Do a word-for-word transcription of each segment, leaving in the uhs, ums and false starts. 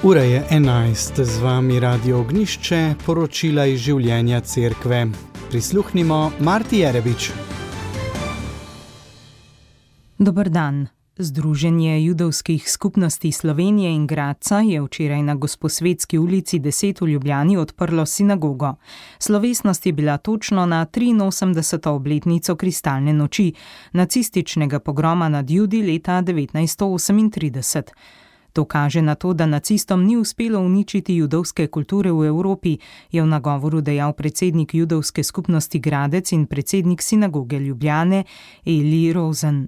Ura je enajst, z vami Radio Ognjišče, poročila iz življenja cerkve. Prisluhnimo Marti Jerebič. Dober dan. Združenje judovskih skupnosti Slovenije in Gradca je včeraj na Gosposvetski ulici deset v Ljubljani odprlo sinagogo. Slovesnost je bila točno na triinosemdeseto obletnico kristalne noči, nacističnega pogroma nad Judi leta devetnajststo osemintrideset. To kaže na to, da nacistom ni uspelo uničiti judovske kulture v Evropi, je v nagovoru dejal predsednik judovske skupnosti Gradec in predsednik sinagoge Ljubljane Eli Rosen.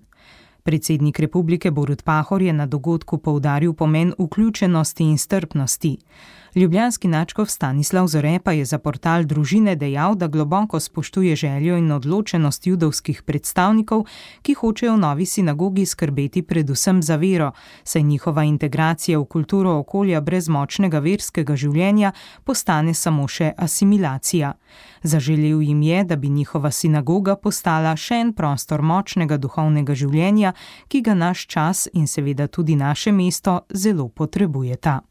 Predsednik republike Borut Pahor je na dogodku poudaril pomen vključenosti in strpnosti. Ljubljanski nadškof Stanislav Zore pa je za portal Družine dejal, da globoko spoštuje željo in odločenost judovskih predstavnikov, ki hočejo v novi sinagogi skrbeti predvsem za vero, saj njihova integracija v kulturo okolja brez močnega verskega življenja postane samo še asimilacija. Zaželel jim je, da bi njihova sinagoga postala še en prostor močnega duhovnega življenja, ki ga naš čas in seveda tudi naše mesto zelo potrebujeta.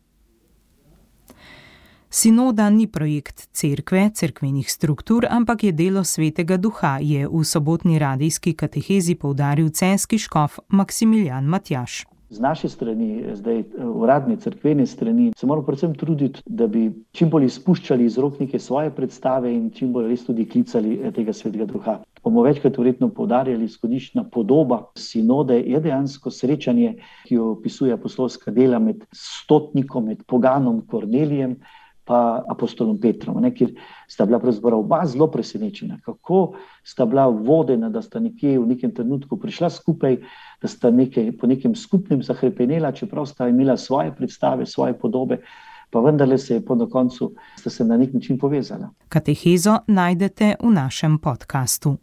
Sinoda ni projekt cerkve, cerkvenih struktur, ampak je delo Svetega Duha, je v sobotni radijski katehezi poudaril celjski škof Maksimilijan Matjaž. Z naše strani, zdaj uradne cerkvene strani, se moramo predvsem truditi, da bi čim bolj izpuščali iz rok neke svoje predstave in čim bolj res tudi klicali tega Svetega Duha. Bomo večkrat verjetno poudarjali, izhodiščna podoba sinode je dejansko srečanje, ki jo opisuje apostolska dela med stotnikom, med poganom Kornelijem pa apostolom Petrom, ne, kjer sta bila pravzaprav oba zelo presenečena, kako sta bila vodena, da sta nekje v nekem trenutku prišla skupaj, da sta nekaj, po nekem skupnem zahrepenela, čeprav sta imela svoje predstave, svoje podobe, pa vendarle se je po na koncu sta se na nek način povezala. Katehezo najdete v našem podkastu.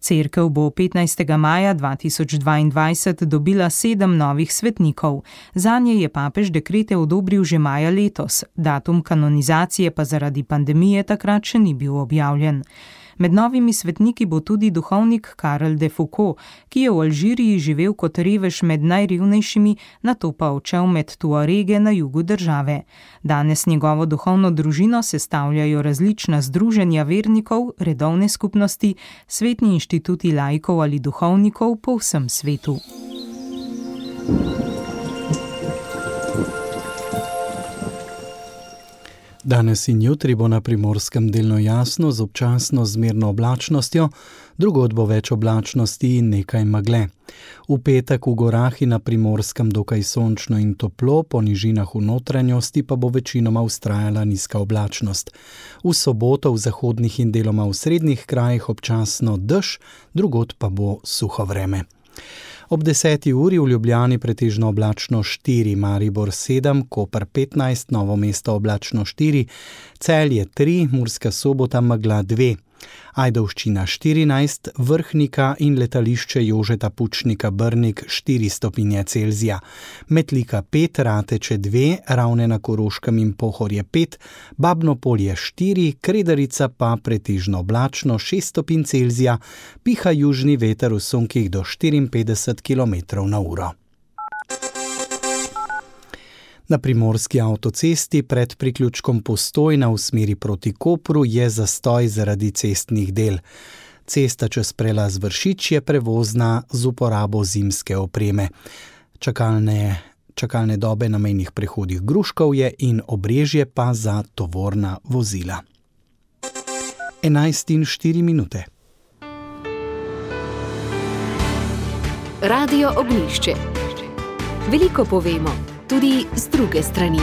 Cerkev bo petnajstega maja dva tisoč dvaindvajset dobila sedem novih svetnikov. Zanje je papež dekrete odobril že maja letos, datum kanonizacije pa zaradi pandemije takrat še ni bil objavljen. Med novimi svetniki bo tudi duhovnik Karel de Foucault, ki je v Alžiriji živel kot revež med najrevnejšimi, nato pa odšel med Tuarege na jugu države. Danes njegovo duhovno družino sestavljajo različna združenja vernikov, redovne skupnosti, svetni inštituti laikov ali duhovnikov po vsem svetu. Danes in jutri bo na Primorskem delno jasno z občasno zmerno oblačnostjo, drugod bo več oblačnosti in nekaj megle. V petek v gorah in na Primorskem dokaj sončno in toplo, po nižinah v notranjosti pa bo večinoma vztrajala nizka oblačnost. V soboto v zahodnih in deloma v srednjih krajih občasno dež, drugod pa bo suho vreme. Ob deseti uri v Ljubljani pretežno oblačno štiri, Maribor sedem, Koper petnajst, Novo mesto oblačno štiri, Celje tri, Murska Sobota megla dve, Ajdovščina štirinajst, Vrhnika in letališče Jožeta Pučnika Brnik štiri stopinje Celzija, Metlika pet, Rateče dve, Ravne na Koroškem in Pohorje pet, Babno Polje štiri, Kredarica pa pretežno oblačno šest stopinj Celzija, piha južni veter v sunkih do štiriinpetdeset kilometrov na uro. Na primorski avtocesti pred priključkom Postojna v smeri proti Kopru je zastoj zaradi cestnih del. Cesta čez prelaz Vršič je prevozna z uporabo zimske opreme. Čakalne, čakalne dobe na mejnih prehodih Gruškovje in Obrežje pa za tovorna vozila. enajst in štiri minute. Radio Ognjišče. Veliko povemo, tudi z druge strani.